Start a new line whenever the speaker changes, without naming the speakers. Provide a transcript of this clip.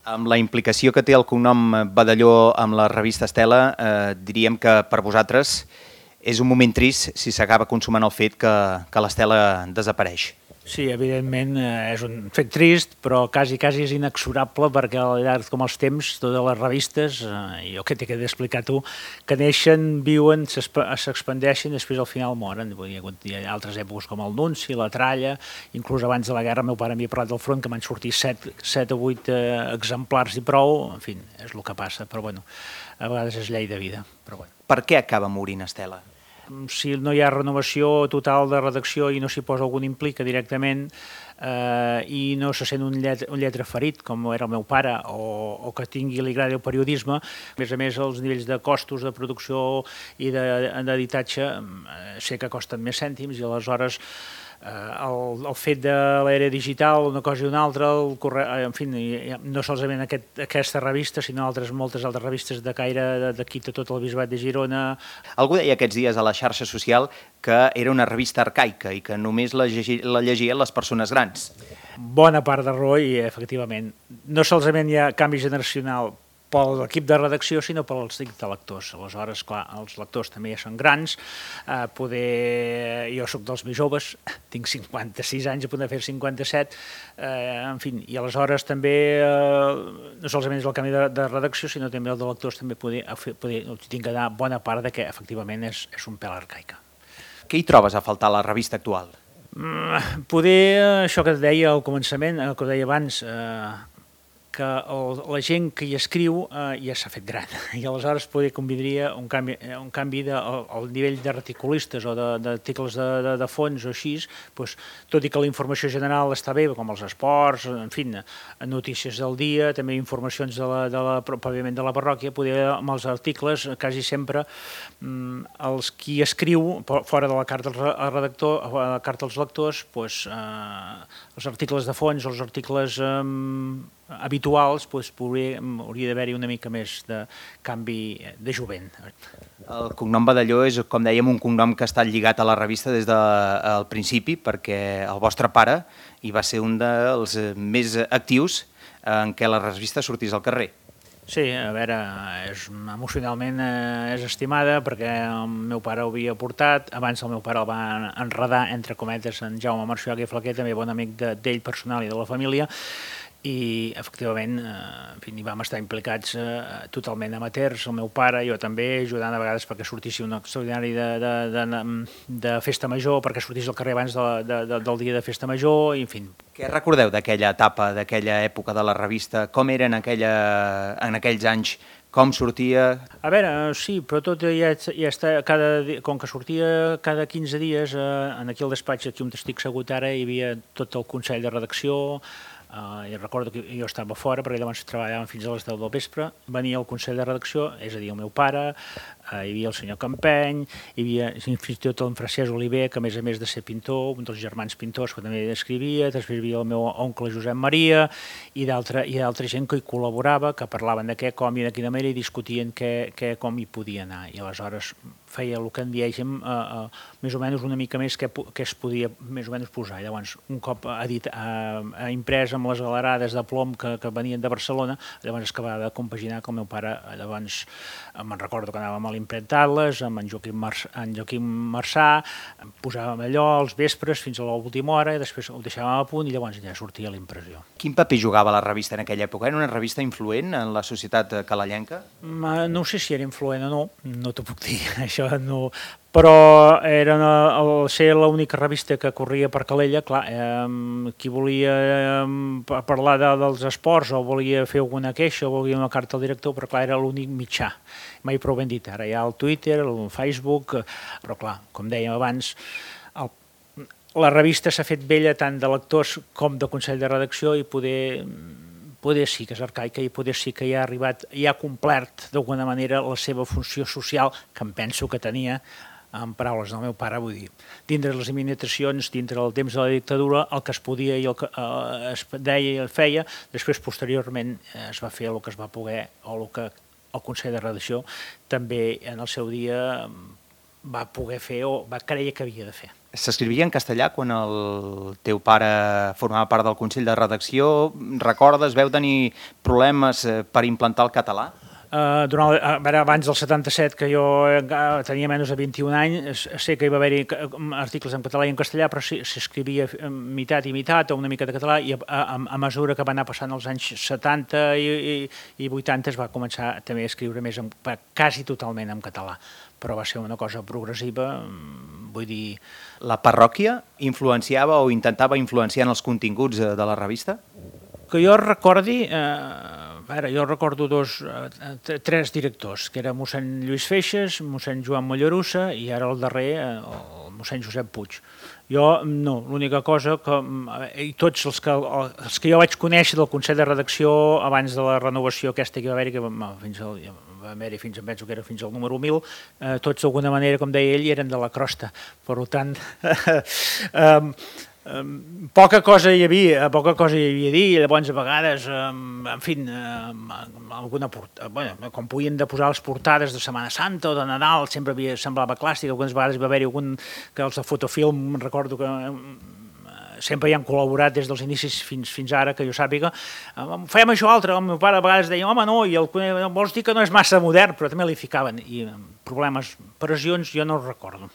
Amb la implicació que té el cognom Badalló amb la revista Estela, diríem que per vosaltres és un moment trist si s'acaba consumant el fet que l'Estela desapareix.
Sí, evidentment és un fet trist, però quasi és inexorable perquè al llarg com els temps, totes les revistes, jo que t'he d'explicar tu, que neixen, viuen, s'expandeixen i després al final moren. Hi ha altres èpoques com el Nunci, la Tralla, inclús abans de la guerra el meu pare m'hi ha parlat del front que van sortir 7 o 8 exemplars i prou, en fi, és el que passa, però bueno, a vegades és llei de vida. Però bueno.
Per què acaba morint Estela?
Si no hi ha renovació total de redacció i no s'hi posa algun implica directament i no se sent un lletre ferit, com era el meu pare, o que li agradi el periodisme, a més els nivells de costos de producció i d'editatge sé que costen més cèntims i aleshores el fet de l'era digital, una cosa i una altra, en fi, no solament aquesta revista, sinó moltes altres revistes de caire d'aquí de tot el Bisbat de Girona.
Algú deia aquests dies a la xarxa social que era una revista arcaica i que només la llegien les persones grans.
Bona part de raó i, efectivament, no solament hi ha canvi generacional per l'equip de redacció, sinó per als lectors. Aleshores, clar, els lectors també ja són grans, jo soc dels més joves, tinc 56 anys, a punt de fer 57, en fi, i aleshores també no solament és el canvi de redacció, sinó també el de lectors també tinc que dar bona part que efectivament és un pèl arcaica.
Què hi trobes a faltar a la revista actual?
Poder, això que et deia al començament, el que deia abans, que la gent que hi escriu ja s'ha fet gran i aleshores poder convindria un canvi al nivell de reticulistes o d'articles de fons o així, tot i que la informació general està bé, com els esports, en fi, notícies del dia, també informacions pròpiament de la parròquia, poder amb els articles quasi sempre els qui escriu fora de la carta al redactor, la carta als lectors, els articles de fons, els articles habituals, hauria d'haver-hi una mica més de canvi de jovent.
El cognom Badalló és, com dèiem, un cognom que ha estat lligat a la revista des del principi, perquè el vostre pare hi va ser un dels més actius en què la revista sortís al carrer.
Sí, a veure, emocionalment és estimada perquè el meu pare ho havia portat, abans el meu pare el va enredar, entre cometes, en Jaume Marciuach i Flaquer, també bon amic d'ell personal i de la família, i efectivament hi vam estar implicats totalment amateurs, el meu pare, jo també, ajudant a vegades perquè sortissi un extraordinari de festa major, perquè sortís al carrer abans del dia de festa major, i en fi.
Què recordeu d'aquella etapa, d'aquella època de la revista? Com era en aquells anys? Com sortia?
A veure, sí, però tot ja està, com que sortia cada 15 dies, aquí al despatx, aquí on estic segut ara, hi havia tot el consell de redacció. I recordo que jo estava fora perquè llavors treballàvem fins a les 10 del vespre, venia el consell de redacció, és a dir, el meu pare, hi havia el senyor Campeny, hi havia fins i tot el Francesc Oliver, que a més de ser pintor, un dels germans pintors que també escrivia, després hi havia el meu oncle Josep Maria i d'altra gent que hi col·laborava, que parlaven de què, com i de quina manera i discutien com hi podia anar. I aleshores feia el que en diem més o menys una mica més que es podia més o menys posar. Llavors, un cop imprès amb les galerades de plom que venien de Barcelona, llavors es acabava de compaginar que el meu pare, llavors me'n recordo que anàvem a l'impremtar-les amb en Joaquim Marçà, posàvem allò als vespres fins a l'última hora i després ho deixàvem a punt i llavors ja sortia la impressió.
Quin paper jugava la revista en aquella època? Era una revista influent en la societat calellenca?
No sé si era influent o no, no t'ho puc dir, això no, però era ser l'única revista que corria per Calella, clar, qui volia parlar dels esports o volia fer alguna queixa o volia una carta al director, però clar, era l'únic mitjà, mai prou ben dit, ara hi ha el Twitter, el Facebook, però clar, com dèiem abans, la revista s'ha fet vella tant de lectors com de consell de redacció i poder sí que és arcaica i poder sí que ja ha arribat, ja ha complert d'alguna manera la seva funció social, que em penso que tenia, en paraules del meu pare, vull dir, dintre les limitacions, dintre el temps de la dictadura, el que es podia i el que es deia i el feia, després posteriorment es va fer el que es va poder o el que el Consell de Redacció també en el seu dia va poder fer o va creure que havia de fer.
S'escrivia en castellà quan el teu pare formava part del Consell de Redacció? Recordes, veu tenir problemes per implantar el català?
Abans del 77, que jo tenia menys de 21 anys, sé que hi va haver-hi articles en català i en castellà, però s'escrivia meitat i meitat, o una mica de català, i a mesura que va anar passant els anys 70 i 80 es va començar també a escriure més quasi totalment en català, però va ser una cosa progressiva, vull dir...
La parròquia influenciava o intentava influenciar en els continguts de la revista?
Que jo recordi... jo recordo tres directors, que era mossèn Lluís Feixes, mossèn Joan Mollerussa i ara el darrer, el mossèn Josep Puig. Jo no, l'única cosa que... I tots els que jo vaig conèixer del Consell de Redacció abans de la renovació aquesta que va haver-hi, que va haver-hi fins al número 1000, tots d'alguna manera, com deia ell, eren de la crosta. Per tant... Poca cosa hi havia a dir, llavors a vegades, en fi, com podien de posar les portades de Setmana Santa o de Nadal, sempre semblava clàssic, algunes vegades va haver-hi algun que els de Fotofilm, recordo que sempre hi han col·laborat des dels inicis fins ara, que jo sàpiga, fèiem això altre, el meu pare a vegades deia, home no, i vols dir que no és massa modern, però també li ficaven, i problemes, pressions, jo no els recordo.